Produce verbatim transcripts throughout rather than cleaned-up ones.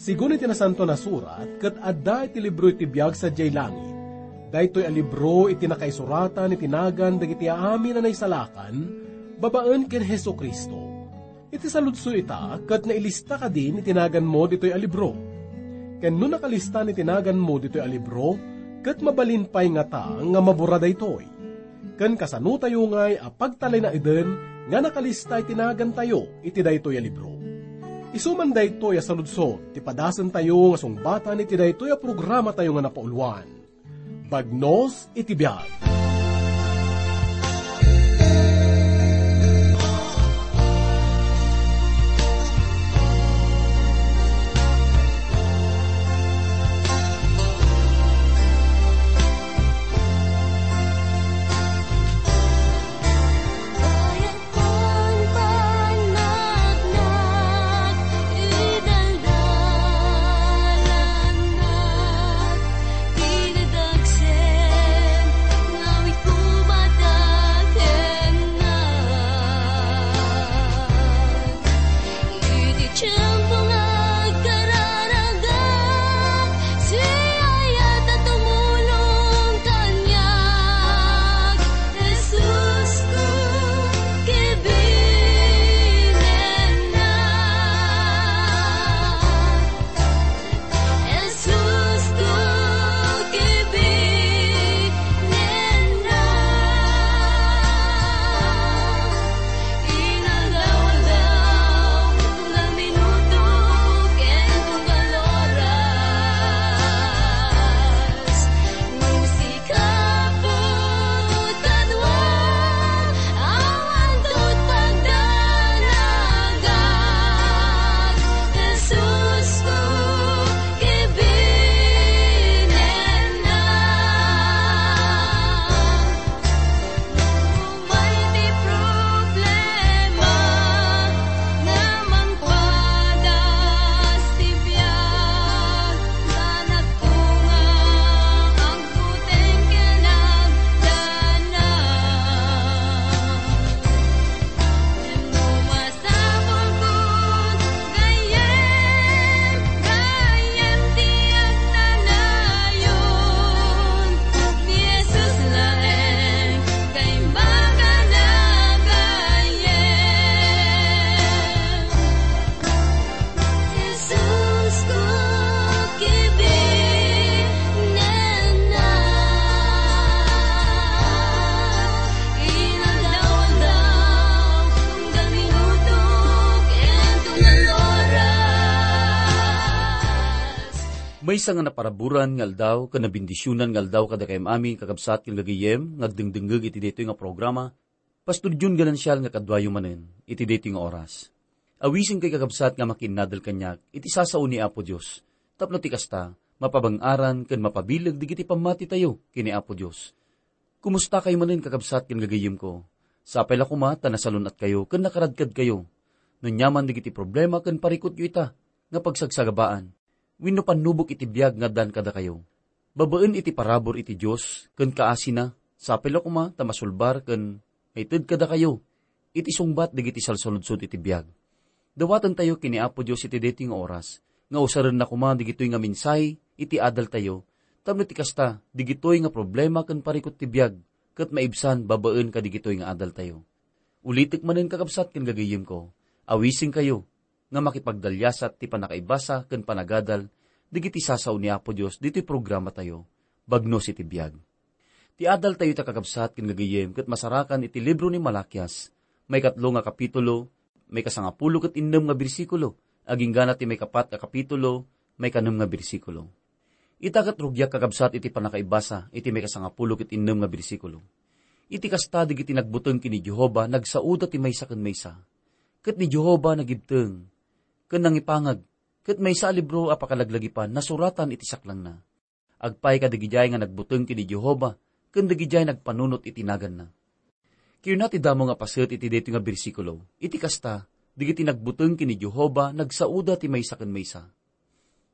Sigun iti Nasantoan a Surat, ket adda iti libro iti biag sadiay langit. Daytoy a libro iti nakaisuratan iti nagan dagiti amin a naisalakan babaen ken Jesu-Cristo. Iti saludso ita, ket nailista kadin iti naganmo ditoy a libro. Ken no nakalistan iti naganmo ditoy a libro, ket mabalin pay ngata nga mabura daytoy. Ken kasanotayo ngay a pagtalinaeden nga nakalista iti nagantayo iti daytoy a libro. Isu man daytoy a saludsod ti padasentayo nga sungbatan iti daytoy a programatayo nga napauluan, Bagnos iti Biag. Iti tiempo nga agkararagak, siak a tumulong kaniak, Jesusko, kibinennak. Jesusko, kibinennak. Inaldaw-aldaw, tunggal minuto, ken tunggal oras. Nung sika put kadua, awan tut pagdanagak, Jesusko, kibinennak. Umay ti problema nga mangpadas ti biag, sanakto nga agbuteng ken agdanag. Ngem no masapulkon, gayyem, gayyem ti agnanayon, ni Jesus laeng nga imbagana gayyem. Jesusko, kibinennak. Inaldaw-aldaw, tunggal minuto, ken tunggal oras. Maysa nga naparaburan nga aldaw ken nabendisionan nga aldaw kadakayo amin, kakabsat ken gagayyem, nga agdengdengngeg iti daytoy nga programa, Pastor Jun Ganancial nga kaduayo manen iti daytoy nga oras. Awisenkayo, kakabsat, nga makiinnadal kaniak iti sasao ni Apo Dios, tapno ti kasta, mapabang-aran ken mapabileg dagiti pammatitayo ken ni Apo Dios. Kumustakayo manen, kakabsat ken gagayyemko? Sapay la koma ta nasalun-atkayo ken nakaradkadkayo. No aniaman dagiti problema ken parikutyo ita nga pagsagsagabaan wenno pannubok iti biag nga addan kadakayo, babaen iti parabur iti Dios ken kaasina, sapay la koma ta masulbar ken maited kadakayo iti sungbat dagiti salsaludsod iti biag. Dawatentayo ken ni Apo Dios iti daytoy nga oras nga usarenna koma dagitoy nga mensahe iti adaltayo, tapno ti kasta, dagitoy nga problema ken parikut ti biag ket maibsan babaen kadagitoy nga adaltayo. Ulitek manen, kakabsat ken gagayyemko, awisenkayo nga makipagdaliasat ti pannakaibasa ken panagadal dagiti sasao ni Apo Dios ditoy programatayo, Bagnos iti Biag. Ti adaltayo ita, kakabsat ken gagayyem, ket masarakan iti libro ni Malakias, maikatlo nga kapitulo, maikasangapulo ket innem nga bersikulo, agingga ti maikapat nga kapitulo, maikanem nga bersikulo. Ita ket rugiak, kakabsat, iti pannakaibasa iti maikasangapulo ket innem nga bersikulo. Iti kasta, dagiti nagbuteng ken ni Jehovah nagsaoda ti maysa ken maysa. Ket ni Jehovah nagibteng ken nangipangag, ket maysa a libro a pakalaglagipan nasuratan iti saklangna. Agpay kadagidiay nga nagbuteng ken ni Jehovah ken dagidiay nagpanunot iti naganna. Kinuna ti damo nga paset iti daytoy nga bersikulo, iti kasta, dagiti nagbuteng ken ni Jehovah nagsaoda ti maysa ken maysa.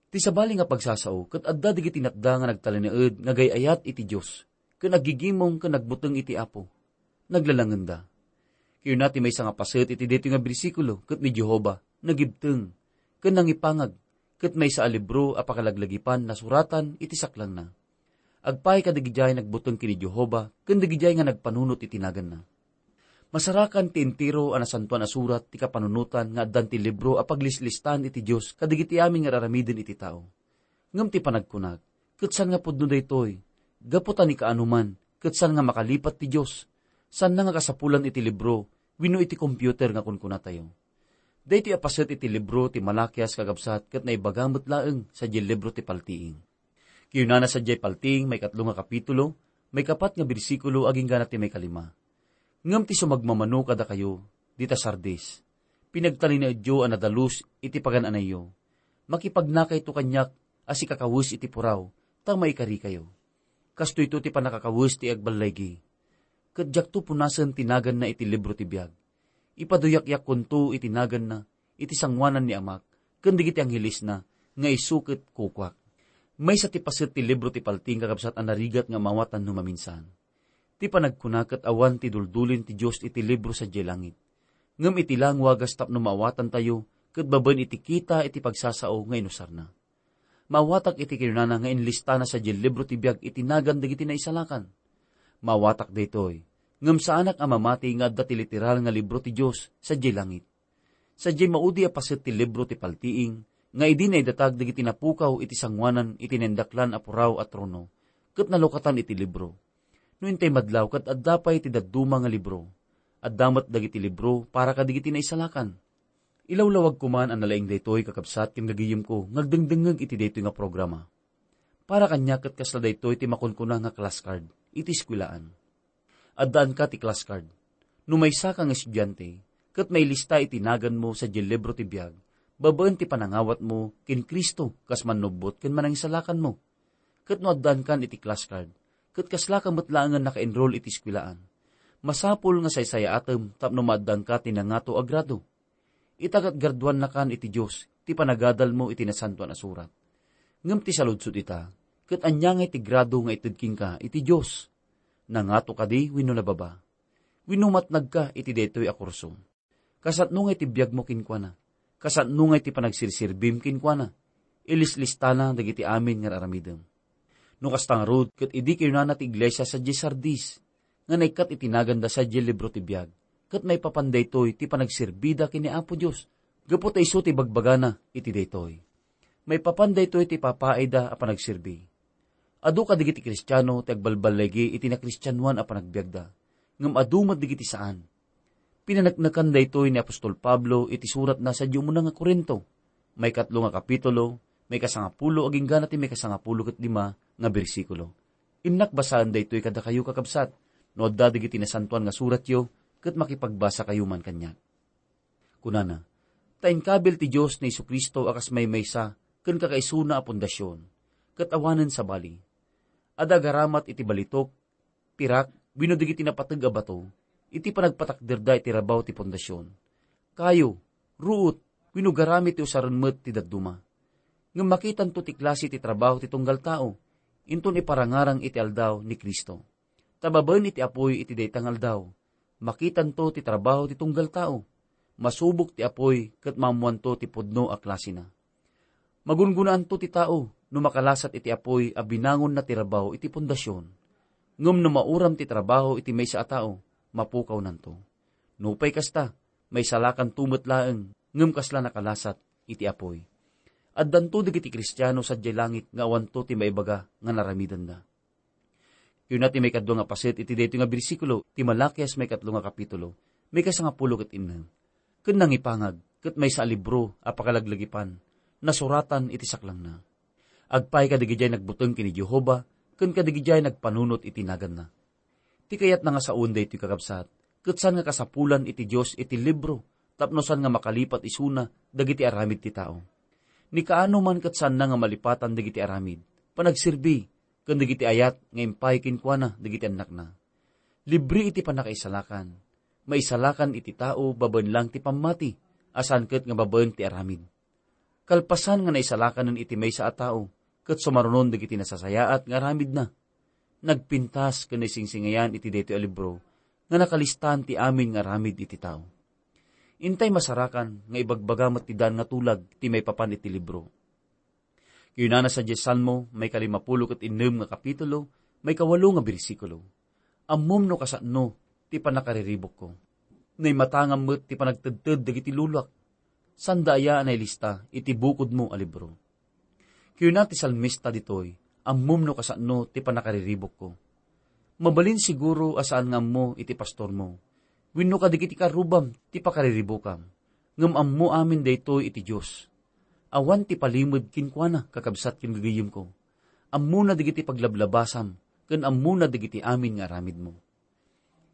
Ti sabali nga pagsasao ket adda dagiti natda nga nagtalinaed nga agay-ayat iti Dios, ken aggigimong ken nagbuteng iti Apo. naglalangenda. Kayuna ti maysa nga paset iti daytoy nga bersikulo, ket ni Jehovah nagibteng ken nangipangag, ket maysa a libro a pakalaglagipan nasuratan iti saklangna. Agpaay kadagidiay nagbuteng ken ni Jehovah ken dagidiay nga nagpanunot iti naganna. Masarakan ti entero a Nasantoan a Surat ti kapanunotan nga addan ti libro a paglislistan iti Dios kadagiti amin nga aramiden iti tao. Ngem ti panagkunak, ket saan nga pudno daytoy, gapu ta ni kaano man, ket saan nga makalipat ti Dios, saanna nga kasapulan iti libro wenno iti computer nga kunkunatayo. Daytoy a paset iti libro ti Malakias, kakabsat, ket naibaga met laeng sadiay libro ti Paltiing. Kayunana sadiay Paltiing, maikatlo nga kapitulo, maikapat nga bersikulo, agingga na ti maikalima. Ngem ti sumagmamano kadakayo, dita Sardis, pinagtalinaedyo a nadalus iti pagan-anayyo. Makipagnakayto kaniak a sikakawes iti puraw, ta maikarikayo. Kastoyto ti pannakakawes ti agballaygi. Ket diakto punasen ti naganna iti libro ti biag. Ipaduyakyakkonto iti naganna iti sangoanan ni Amak ken dagiti anghelesna nga isu ket kukuak. Maysa ti paset ti libro ti Paltiing, kakabsat, a narigat nga maawatan no maminsan. Ti panagkuna ket awan ti duldulin ti Dios iti libro sadiay langit. Ngem iti la nga wagas tapno maawatantayo ket babaen iti kita iti pagsasao nga inusarna. Maawatak iti kinunana nga inlistana sadiay libro ti biag iti nagan dagiti naisalakan. Maawatak daytoy, ngem saanak a mamati nga adda ti literal nga libro ti Dios sadiay langit. Sadiay maudi a paset ti libro ti Paltiing nga idi naidatag dagiti napukaw iti sangoanan iti naindaklan a puraw a trono, ket nalukatan iti libro. No intay madlaw ket adda pay ti dadduma nga libro. Adda met dagiti libro para kadagiti naisalakan. Ilawlawag koman a nalaing daytoy, kakabsat ken gagayemko, nga agdengdengngeg iti daytoy nga programa. Para kaniak ket kasla daytoy ti makunkuna nga class card iti eskuelaan. Addaanka ti class card. No maysaka nga estudiante, ket mailista iti naganmo sadiay libro ti biag, babaen ti panangawatmo ken Cristo kas mannubbot ken manangisalakanmo. Ket no addaankan iti class card, ket kaslaka met laengen naka-enroll iti eskuelaan, masapul nga saysayaatem tapno maaddaanka ti nangato a grado. Itagatgraduannakan iti Dios ti panagadalmo iti Nasantoan a Surat. Ngem ti saludsod ita, ket ania ngay ti grado nga ited kenka iti Dios? Nangato kadi wenno nababa? Wenno matnagka iti daytoy a kurso? Kasano ngay ti biagmo kenkuana? Kasano ngay ti panagserserbim kenkuana? Ilislistana dagiti amin nga aramidem. No kasta ngarud, ket idi kinunana ti iglesia sadiay Sardis, nga naikkat iti naganda sadiay libro ti biag, ket maipapan daytoy ti panagserbida ken ni Apo Dios, gapu ta isu ti bagbagana iti daytoy. Maipapan daytoy ti ipapaayda a panagserbi. Adu kadagiti Kristiano ti agbalballigi iti nakristianoan a panagbiagda, ngem adu met dagiti saan. Pinaneknekan daytoy ni apostol Pablo iti suratna sadiay umuna nga Corinto, maikatlo nga kapitulo, maikasangapulo agingga na ti maikasangapulo ket lima nga bersikulo. Innak basaen daytoy kadakayo, kakabsat, no adda dagiti nasantoan nga suratyo, ket makipagbasakayo man kaniak. Kunana, "Ta inkabil ti Dios ni Jesu-Cristo a kas maymaysa ken kakaisuna a pundasyon, ket awanen sabali. Adda agaramat iti balitok, pirak, wenno dagiti napateg a bato, iti panagpatakderda iti rabaw ti pundasyon. Kayo, ruot, wenno garamid ti usaren met ti dadduma. Ngem makitanto ti klase ti trabaho ti tunggal tao, inton iparangarang iti aldaw ni Cristo. Ta babaen iti apuy iti dayta nga aldaw, makitanto ti trabaho ti tunggal tao. Masubok ti apuy ket maammoanto ti pudno a klasena. Magungunaanto ti tao no makalasat iti apuy a binangonna ti rabaw iti pundasyon. Ngem no mauram ti trabaho iti maysa a tao, mapukawnanto. Nupay kasta, maisalakanto met laeng, ngem kasla nakalasat iti apuy." Addanto dagiti Kristiano sadiay langit nga awanto ti maibaga nga naramidenda. Kayuna ti maikadua nga paset iti daytoy nga bersikulo ti Malakias, maikatlo nga kapitulo, maikasangapulo ket innem. Ken nangipangag, ket maysa a libro a pakalaglagipan, nasuratan iti saklangna. Agpaay kadagidiay nagbuteng ken ni Jehovah, ken kadagidiay nagpanunot iti naganna. Ti kayatna nga saoen daytoy, kakabsat, ket saan nga kasapulan iti Dios iti libro, tapno saan nga makalipat isuna dagiti aramid ti tao. Ni kaano man ket saanna nga malipatan dagiti aramid, panagserbi, ken dagiti ayat nga impay kenkuana dagiti annakna. Libre iti pannakaisalakan. Maisalakan iti tao babaen lang ti pammati, a saan ket nga babaen ti aramid. Kalpasan nga naisalakanen iti maysa a tao, ket sumarunon dagiti nasasayaat nga aramidna. Nagpintas ken naisingsingayan iti daytoy a libro, nga nakalistaan ti amin nga aramid iti tao. Intay masarakan nga ibagbaga met ti daan nga tulag ti maipapan iti libro. Kunana sadiay Salmo, maikalimapulo ket innem nga kapitulo, maikawalo nga bersikulo. Ammom no kasano ti pannakariribukko. Naimatangam met ti panagtedted dagiti luluak. Sanda aya a nailista iti bukodmo a libro. Kuna ti salmista ditoy, ammom no kasano ti pannakariribukko. Mabalin siguro a saan nga ammo iti pastormo, wenno kadagiti karrubam ti pakariribukam. Ngem ammo amin daytoy iti Dios. Awan ti palimed kenkuana, kakabsat ken gagayyemko. Ammona dagiti paglablabasam, ken ammona dagiti amin nga aramidmo.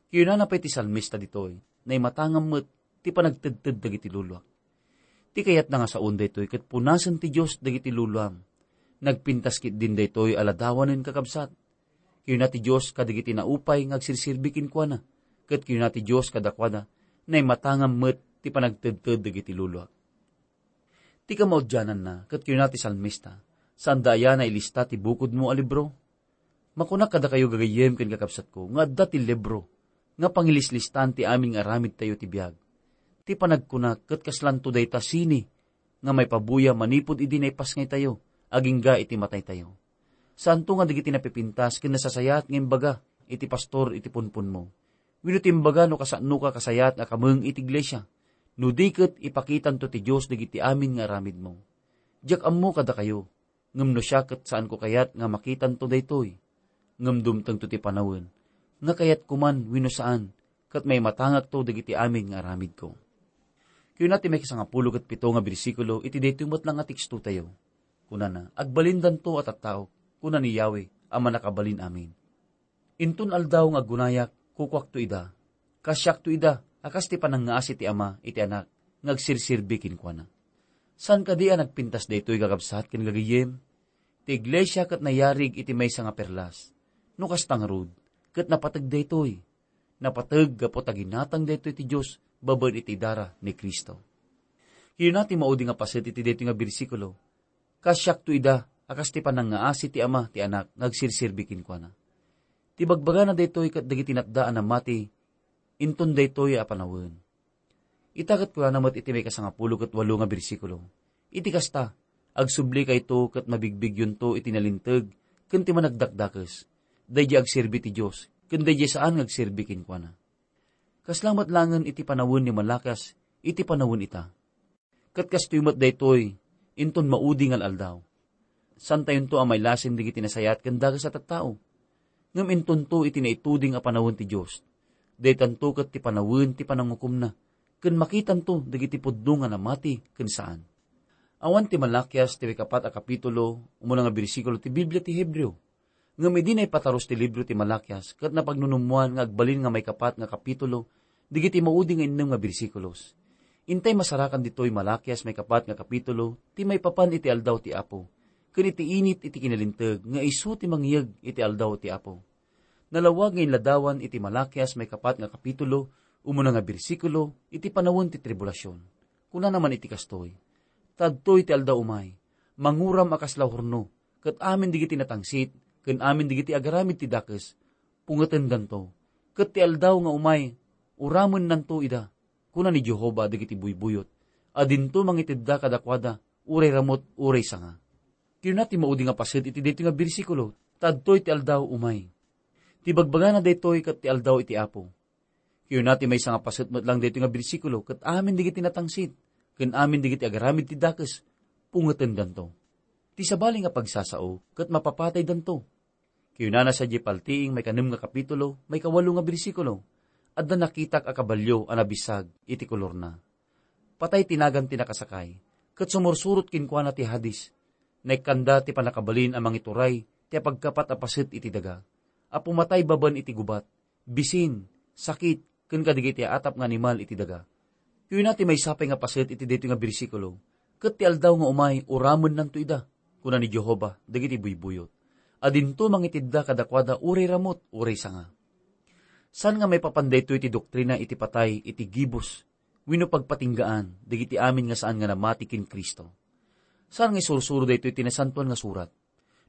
Kinunana pay ti salmista ditoy, naimatangam met ti panagtedted dagiti luluak. Ti kayatna nga saon daytoy ket punasen ti Dios dagiti luluam. Nagpintas ketdin daytoy a ladawanen, kakabsat. Kinuna ti Dios kadagiti naupay nga agserserbi kenkuana, ket kinuna ti Dios kadakuada, naimatangam met ti panagtedted dagiti luluak. Ti kamaudiananna, ket kinuna ti salmista, sanda aya nailista ti bukodmo a libro? Makunak kadakayo gagayyem ken kakabsatko nga adda ti libro nga pangilislistan ti amin nga aramidtayo ti biag. Ti panagkuna ket kaslanto dayta sini nga maipabuya manipud idi naipasngaytayo agingga iti mataytayo. Saanto nga dagiti napipintas ken nasasayaat nga imbaga iti pastor iti punpunmo, wenno ti imbaga no kasanoka kasayaat nga kameng iti iglesia, no di ket ipakitanto ti Dios dagiti amin nga aramidmo. Diak ammo kadakayo, ngem no siak ket saanko kayat nga makitanto daytoy. Ngem dumtengto ti panawen, nga kayatko man wenno saan, ket maimatangakto dagiti amin nga aramidko. Kuna ti maikasangapulo ket pito nga bersikulo iti daytoy met la nga tekstotayo. Kunana, "Agbalindanto a tattaok," kuna ni Yahweh a Mannakabalin-amin. "Inton aldaw nga agunayak, kukuakto ida. Kasiakto ida a kas ti panangngaasi ti Ama iti Anak nga agserserbi kenkuana." Saan kadi a nagpintas daytoy, kakabsat ken gagayyem? Ti iglesia ket nayarig iti maysa nga perlas. No kasta ngarud, ket napateg daytoy. Napateg gapu ta ginatang daytoy ti Dios babaen iti idara ni Cristo. Kinuna ti maudi nga paset iti daytoy nga bersikulo, "Kasiakto ida a kas ti panangngaasi ti Ama ti Anak nga agserserbi kenkuana." Ti bagbagana daytoy ket dagiti natda a namati inton daytoy a panawen. Ita ket kunana met iti maikasangapulo ket walo nga bersikulo, "Iti kasta, agsublikayo ket mabigbigyonto iti nalinteg ken ti managdakdakes, daydiay agserbi ti Dios, ken daydiay saan nga agserbi kenkuana." Kasla met laengen iti panawen ni Malakias iti panawen ita. Ket kastoy met daytoy inton maudi nga al-aldaw. Saantayonto a mailasin dagiti nasayaat ken dakes a tattao. Ngem intonto iti naituding a panawen ti Dios, daytanto ket ti panawen ti panangukomna, ken makitanto dagiti pudno nga namati ken saan. Awan ti Malakias ti maikapat a kapitulo, umuna nga bersikulo ti Biblia ti Hebreo. Ngem idi naipatarus ti libro ti Malakias ket napagnunummoan nga agbalin nga maikapat nga kapitulo dagiti maudi nga innem nga bersikulos. Intay masarakan ditoy Malakias maikapat nga kapitulo ti maipapan iti aldaw ti Apo, ken iti init iti kinalinteg nga isu ti mangiyeg iti aldaw ti Apo. Nalawag nga inladawan iti Malakias maikapat nga kapitulo, umuna nga bersikulo, iti panawen ti tribulasion. Kunana man iti kastoy, "Tadtoy ti aldaw umay, manguram a kasla horno, ket amin dagiti natangsit, ken amin dagiti agaramid ti dakes, pungetendanto. Ket ti aldaw nga umay, uramennanto ida, kuna ni Jehovah dagiti buybuyot, a dinto mangitedda kadakuada, uray ramut, uray sanga." Kinuna ti maudi nga paset iti daytoy nga bersikulo, "Tadtoy ti aldaw umay." Ti bagbagana daytoy ket ti aldaw iti Apo. Kinuna ti maysa nga paset met lang daytoy nga bersikulo, ket amin dagiti natangsit, ken amin dagiti agaramid ti dakes, pungetendanto. Ti sabali nga pagsasao, ket mapapataydanto. Kinunana sadiay paltiing maikanem nga kapitulo, maikawalo nga bersikulo, "Adda nakitak a kabalio a nabisag iti kolorna. Patay ti nagan ti nakasakay, ket sumursurot kenkuana ti Hades. Naikkanda ti pannakabalin a mangituray ti apagkapat a paset iti daga, a pumatay babaen iti gubat, bisin, sakit, ken kadagiti aatap nga animal iti daga." Kuna ti maysa pay nga paset iti daytoy nga bersikulo, "Ket ti aldaw nga umay, uramennanto ida, kuna ni Jehovah dagiti buybuyot, a dinto mangitedda kadakuada uray ramut, uray sanga." Saan nga maipapan daytoy ti doktrina iti patay iti gibus wenno pagpatinggaan dagiti amin nga saan nga namati ken Cristo. Saan nga isursuro daytoy ti Nasantoan nga Surat.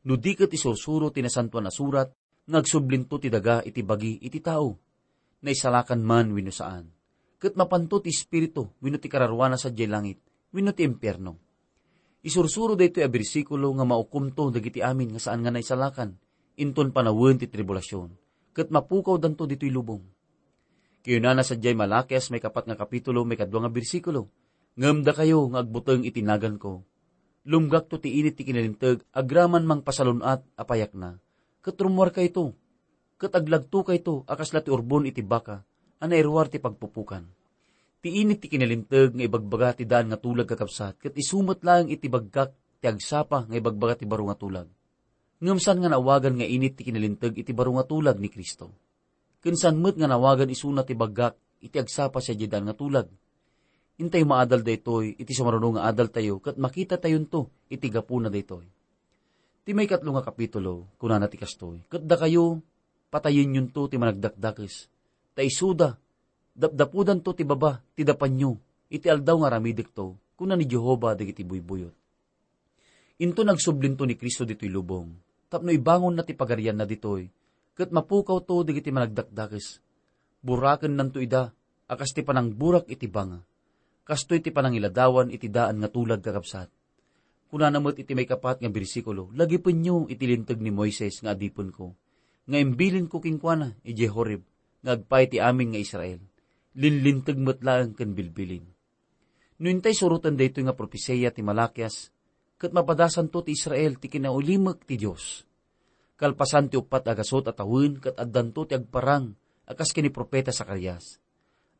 No di ket isursuro ti Nasantoan a Surat, nga agsublinto ti daga iti bagi iti tao. naisalakan man wenno saan. Ket mapanto ti espiritu wenno ti kararuana sadiay langit wenno ti impierno. Isursuro daytoy a bersikulo nga maukomto dagiti amin nga saan nga naisalakan inton panawen ti tribulasion, ket mapukawdanto ditoy lubong. Kinunana sadiay Malakias maikapat nga kapitulo, maikadua nga bersikulo, "Ngem dakayo nga agbuteng iti naganko, lumgakto ti init ti kinalinteg agraman mangpasalun-at a payakna, ket rummuarkayto, ket aglagtokayto a kasla ti urbon iti baka a nairuar ti pagpupukan." Ti init ti kinalinteg nga ibagbaga ti daan nga tulag, kakabsat, ket isu met laeng iti baggak ti agsapa nga ibagbaga ti baro nga tulag. Ngem saan nga naawagan nga init ti kinalinteg iti baro nga tulag ni Cristo. Ken saan met nga naawagan isuna ti baggak iti agsapa sadiay daan nga tulag. Intay maadal daytoy iti sumaruno nga adaltayo ket makitatayonto iti gapuna daytoy. Ti maikatlo nga kapitulo, kunana ti kastoy, "Ket dakayo, patayenyonto ti managdakdakes, ta isuda, dapdapudanto ti baba ti dapanyo iti aldaw nga aramidekto, kuna ni Jehovah dagiti buybuyot." Inton agsublinto ni Cristo ditoy lubong, tapno ibangonna ti pagarianna ditoy, ket mapukawto dagiti managdakdakes. Burakennanto ida a kas ti panangburak iti banga. Kastoy ti panangiladawan iti daan nga tulag, kakabsat. Kunana met iti maikapat nga bersikulo, "Lagipenyo iti linteg ni Moises nga adipenko, nga imbilinko kenkuana idiay Horeb nga agpaay ti amin nga Israel. Linlinteg met laeng ken bilbilin." No intay suroten daytoy nga propesia ti Malakias, ket mapadasanto ti Israel ti kinaulimek ti Dios. Kalpasan ti uppat a gasut a tawen ket addanto ti agparang a kas ken ni profeta Zacarias.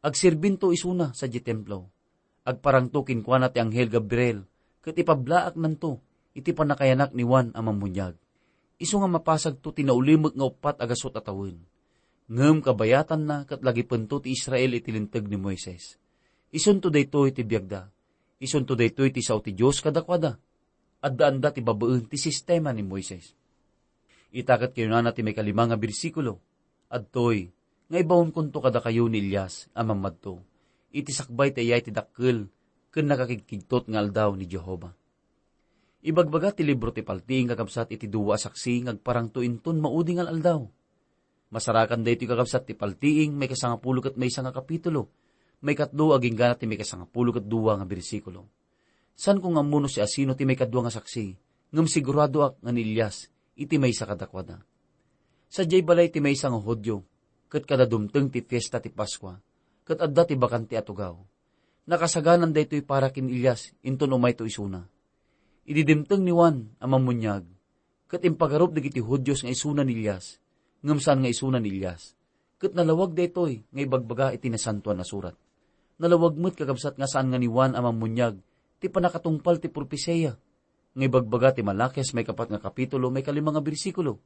Agserbinto isuna sadiay templo. Agparangto kenkuana ti anghel Gabriel ket ipablaaknanto iti pannakayanak ni Juan a Mammuniag. Isu nga mapasagto ti naulimek nga uppat a gasut a tawen. Ngem kabayatanna ket lagipento ti Israel iti linteg ni Moises. Isunto daytoy ti biagda. Isunto daytoy ti sao ti Dios kadakuada. Addaanda ti babaen ti sistema ni Moises. Ita ket kinunana ti maikalima nga bersikulo, "Adtoy nga ibaonkonto kadakayo ni Elias a mammadto iti sakbay ti ayay ti dakkel ken nakakigkigtot nga aldaw ni Jehovah." Ibagbaga ti libro ti Paltiing, kakabsat, iti dua a saksi nga agparangto inton maudi nga al-aldaw. Masarakan daytoy, kakabsat, ti Paltiing, maikasangapulo ket maysa nga kapitulo, maikatlo agingga ti maikasangapulo ket dua nga bersikulo. Saanko nga ammo no siasino ti maikadua nga saksi, ngem siguradoak nga ni Elias iti maysa kadakuada. Sadiay balay ti maysa nga Judio, ket kada dumteng ti fiesta ti Paskua, ket adda ti bakante a tugaw. Nakasaganan daytoy para ken Elias inton umayto isuna. Idi dimteng ni Juan a Mammuniag, ket impagarup dagiti Judios nga isuna ni Elias, ngem saan nga isuna ni Elias. Ket nalawag daytoy nga ibagbaga iti Nasantoan a Surat. Nalawag met, kakabsat, nga saan nga ni Juan a Mammuniag ti pannakatungpal ti propesia nga ibagbaga ti Malakias maikapat nga kapitulo, maikalima nga bersikulo.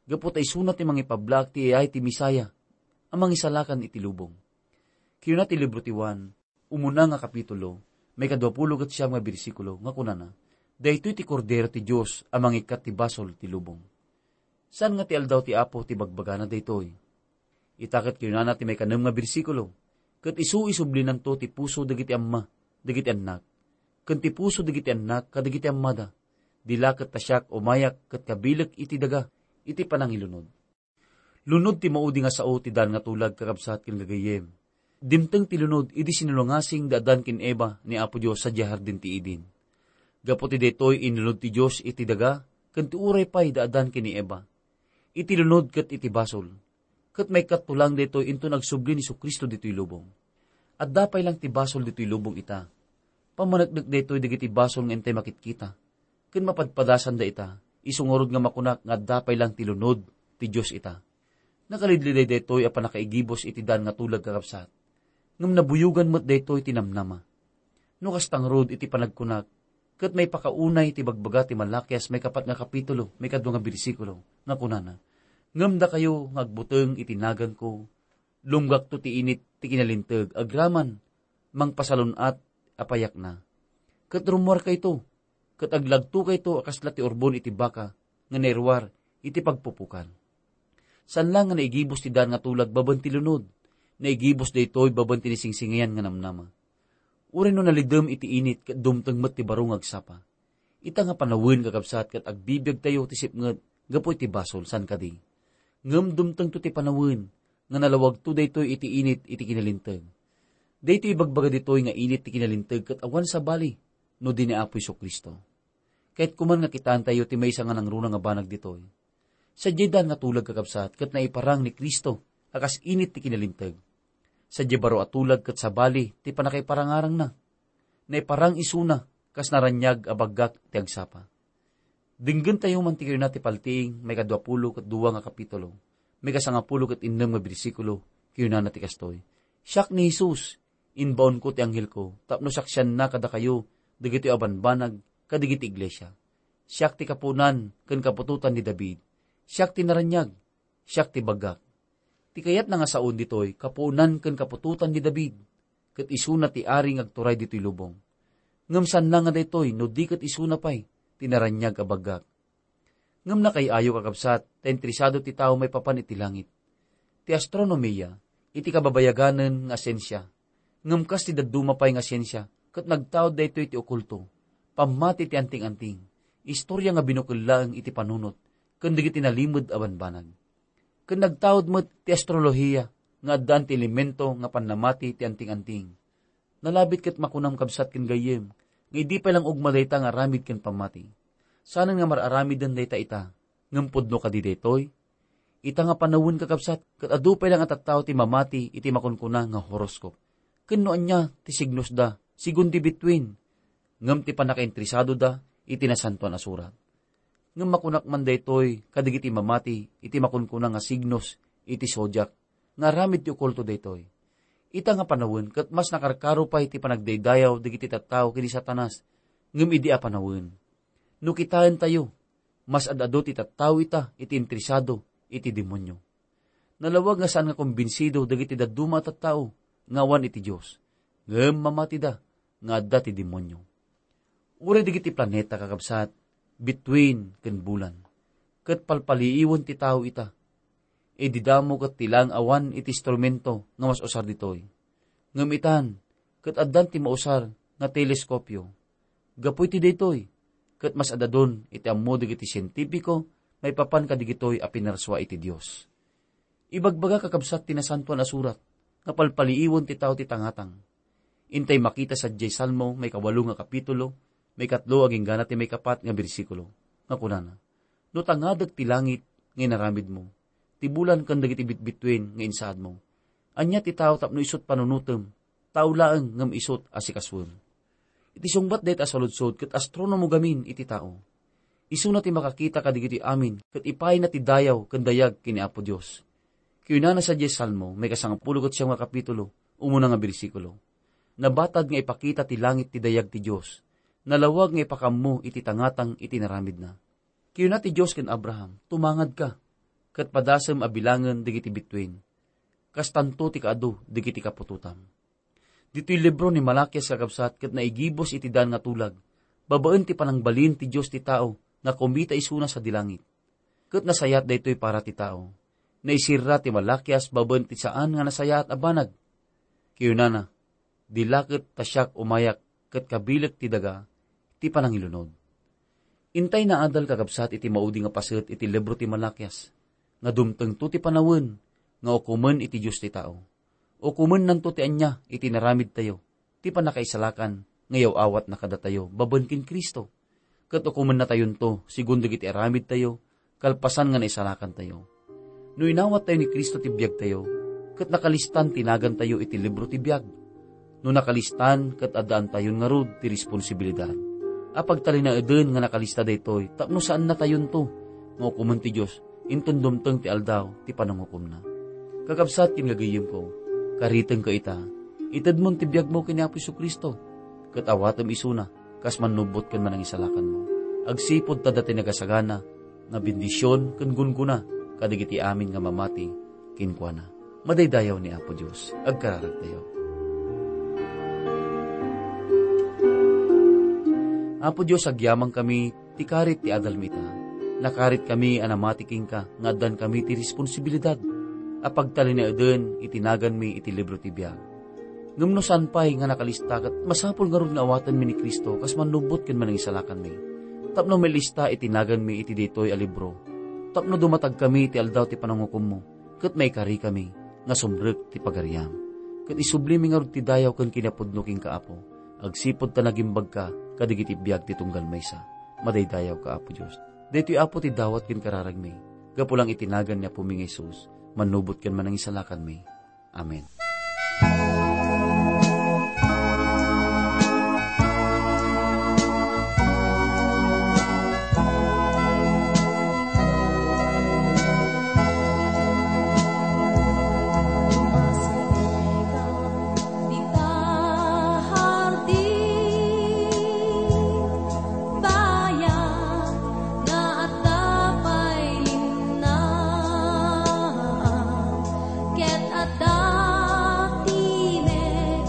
Gapu ta isuna ti mangipablaak ti ayay ti Messiah a mangisalakan iti lubong. Kinuna ti libro ti Juan, umuna nga kapitulo, maikaduapulo ket siam nga bersikulo, nga kunana, "Daytoy ti Kordero ti Dios a mangikkat ti basol ti lubong." Saan nga ti aldaw ti Apo ti bagbagana daytoy. Ita ket kinunana ti maikanem nga bersikulo, "Ket isu isublinanto ti puso dagiti amma, dagiti annak, ken ti puso dagiti annak kadagiti ammada. Di la ket ta siak umayak ket kabilek iti daga iti panangilunod." Lunod ti maudi nga sao ti daan nga tulag, kakabsat ken gagayyem. Dimteng ti lunod idi sinulungasing da Adan ken Eva ni Apo Dios sadiay hardin ti Eden. Gapu ti daytoy, inlunod ti Dios iti daga ken ti uray pay da Adan ken ni Eva. Iti lunod ket iti basol. Ket maikatto lang daytoy inton agsubli ni Jesu-Cristo ditoy lubong. Adda pay lang ti basol ditoy lubong ita. Pammaneknek daytoy dagiti basol nga intay makitkita ken mapadpadasanda ita, isu ngarud nga makunak nga adda pay lang ti lunod ti Dios ita. Nakalidliday daytoy a pannakaigibus iti daan nga tulag, kakabsat. Ngem nabuyogan met daytoy ti namnama. No kasta ngarud iti panagkunak, ket maipakaunay ti bagbaga ti Malakias maikapat nga kapitulo, maikadua nga bersikulo, nga kunana, "Ngem dakayo nga agbuteng iti naganko, lumgakto ti init ti kinalinteg agraman mangpasalun-at a payakna. Ket rummuarkayto, ket aglagtokayto a kasla ti urbon iti baka nga nairuar iti pagpupukan." Saan la nga naigibus ti daan nga tulag babaen ti lunod. Naigibus daytoy babaen ti naisingsingayan nga namnama. Uray no nalidem iti init ket dumteng met ti baro nga agsapa. Ita nga panawen, kakabsat, ket agbibiagtayo ti sipnget gapu iti basol, saan kadi? Ngem dumtengto ti panawen nga nalawagto daytoy iti init iti kinalinteg. Daytoy ibagbaga ditoy nga init ti kinalinteg ket awan sabali no di ni Apo Jesu-Cristo. Kayatko man nga kitaentayo ti maysa nga nangruna nga banag ditoy. Sadiay daan nga tulag, kakabsat, ket naiparang ni Cristo a kas init ti kinalinteg. Sadiay baro a tulag ket sabali ti pannakaiparangarangna. Naiparang isuna kas naraniag a baggak ti agsapa. Denggentayo man ti kayuna ti paltiing, maikadua pulo ket dua nga kapitulo, maikasangapulo ket innem nga bersikulo, kayunana ti kastoy, "Siak ni Jesus, imbaonko ti anghelko, tapno saksianna kadakayo dagitoy a banbanag kadigiti iglesia. Siak ti kapuonan ken kaputotan ni David. Siak ti naraniag, siak ti baggak." Ti kayatna nga saon ditoy, kapuonan ken kaputotan ni David, ket isuna ti ari nga agturay ditoy lubong. Ngem saanna nga daytoy no di ket isuna pay ti naraniag a baggak. Ngem nakaay-ayo, kakabsat, ta interesado ti tao maipapan iti langit. Ti astronomia, iti kababayaganen nga siensia, ngem kas ti dadduma pay nga siensia, ket nagtaud daytoy ti okulto, pammati ti anting-anting, istoria nga binukel laeng iti panunot, ken dagiti nalimed a banbanag. Ken nagtaud met ti astrolohiya nga addaan ti elemento nga pannamati ti anting-anting. Nalabit ket makunam, kabsat ken gayyem, nga idi pay lang ugma dayta nga aramid ken pammati, saanen nga mar-aramiden dayta ita. Ngem pudno kadi daytoy? Ita nga panawen, kakabsat, ket adu pay lang a tattao ti mamati iti makunkuna nga horoscope. Ken no ania ti signosda, sigun ti bituin, ngem ti pannakainteresadoda iti Nasantoan a Surat. Ngem makunak man daytoy kadagiti mamati iti makunkuna nga signos iti zodiac, nga aramid ti okulto daytoy. Ita nga panawen ket mas nakarkaro pay ti panagdaydayaw dagiti tattao ken ni Satanas, ngem idi a panawen. No kitaentayo, mas ad-adu ti tattao ita iti interesado iti demonio. Nalawag nga saan nga kumbinsido dagiti dadduma a tattao nga awan iti Dios, ngem mamatida nga adda ti demonio. Uray dagiti planeta, kakabsat, bituin ken bulan, ket palpaliiwen ti tao ita. Idi damo ket ti laeng awan iti instrumento nga mas usar ditoy. Ngem itan, ket addan ti mausar nga teleskopio. Gapu iti daytoy, ket mas ad-adun iti ammo dagiti sientipiko maipapan kadagitoy a pinarsua iti Dios. Ibagbaga, kakabsat, ti Nasantoan a Surat nga palpaliiwen ti tao ti tangatang. Intay makita sadiay Salmo, maikawalo nga kapitulo, maikatlo agingga ti maikapat nga bersikulo, nga kunana, "No tangadek ti langit nga inaramidmo, ti bulan ken dagiti bitbituen nga insaadmo, ania ti tao tapno isut' panunotem? Tao laeng ngem isut' a sikasuem." Iti sungbat dayta a saludsod ket astronomo gamin iti tao. Isuna ti makakita kadagiti amin ket ipayna ti dayaw ken dayag ken ni Apo Dios. Kinunana sadiay Salmo, maikasangapulo ket siam nga kapitulo, umuna nga bersikulo, "Nabatad nga ipakita ti langit ti dayag ti Dios. Nalawag nga ipakammo iti tangatang iti inaramidna." Kinuna ti Dios ken Abraham, "Tumangadka, ket padasem a bilangen dagiti bituen. Kastanto ti kaadu dagiti kaputotam." Ditoy libro ni Malakias, kakabsat, ket naigibus iti daan nga tulag, babaen ti panangbalin ti Dios ti tao nga kumita isuna sadi langit. Ket nasayaat daytoy para ti tao. Naisirra ti Malakias babaen ti saan nga nasayaat a banag. Kinunana, "Di la ket ta siak umayak ket kabilek ti daga ti panangilunod." Intay naadal, kakabsat, iti maudi nga paset iti libro ti Malakias, nga dumtengto ti panawen nga ukomen iti Dios ti tao. Ukomennanto ti ania iti inaramidtayo, ti pannakaisalakan nga yaw-awatna kadatayo babaen ken Cristo. Ket ukomennatayonto sigun dagiti aramidtayo kalpasan nga naisalakantayo. No inawattayo ni Cristo ti biagtayo, ket nakalistan ti nagantayo iti libro ti biag. No nakalistan, ket addaantayon ngarud ti responsibilidad a pagtalinaeden nga nakalista daytoy tapno saannatayonto nga ukomen ti Dios inton dumteng ti aldaw ti panangukomna. Kakabsat ken gagayyemko, karitengka ita. Itedmon ti biagmo ken ni Apo Jesu-Cristo, ket awatem isuna kas mannubbot ken manangisalakanmo. Agsipud ta adda ti nagasagana nga bendision ken gunggona kadagiti amin nga mamati kenkuana. Madaydayaw ni Apo Dios. Agkararagtayo. Apo Dios, agyamankami ti karit ti adalmi ita. Nakaritkami a namati kenka nga addankami ti responsibilidad a pagtalinaeden iti naganmi iti libro ti biag. Ngem no saan pay nga nakalista, ket masapul ngarud nga awatenmi ni Cristo kas mannubbot ken manangisalakanmi, tapno mailista iti naganmi iti daytoy a libro, tapno dumatagkami iti aldaw ti panangukommo, ket maikarikami nga sumrek ti pagariam. Ket isublimi ngarud ti dayaw ken kinapudno kenka, Apo, agsipud ta nagimbagka kadagiti biag ti tunggal maysa. Madaydayawka, Apo Dios. Daytoy, Apo, ti dawat ken kararagmi. Gapu lang iti nagan ni Apomi nga Jesus, mannubot ken manangisalakanmi. Amen. Dita hardin, bayag nga adda pay linnaan, ket adda timek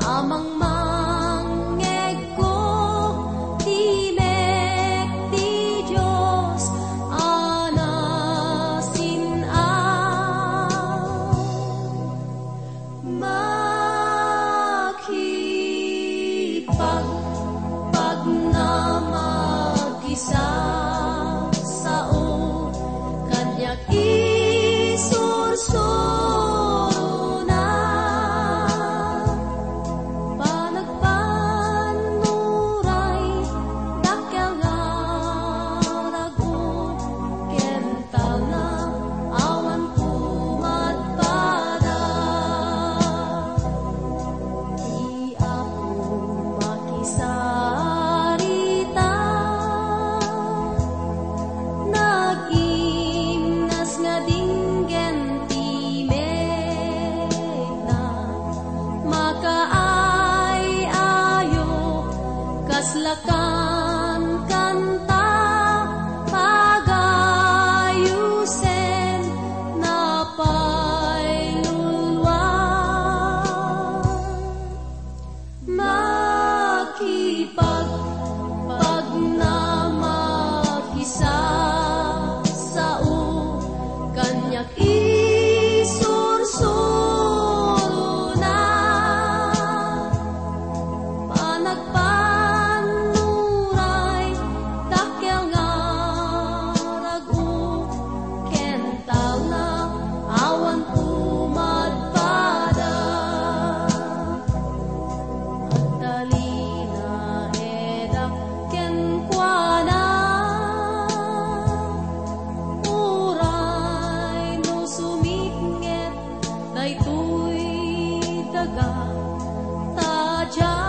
a mangmangngegko, timek ti Dios a nasin-aw. Makipagpagnamag kisasao, kaniak isursurona. Panagpanuray, dakkel nga rag-o, ken talna, awan pumadpada. Ti Apo makisarita, nagimnas nga dinggen ti mekna, makaay-ayo, kasla kankanta, pagayosen, napayluluan. Makipagpagnamag kisasao, kaniak isursurona. Panagpanuray, dakkel nga rag-o, ken talna, awan pumadpada. Agtalinaedak kenkuana, uray no sumipnget daytoy daga, ta diak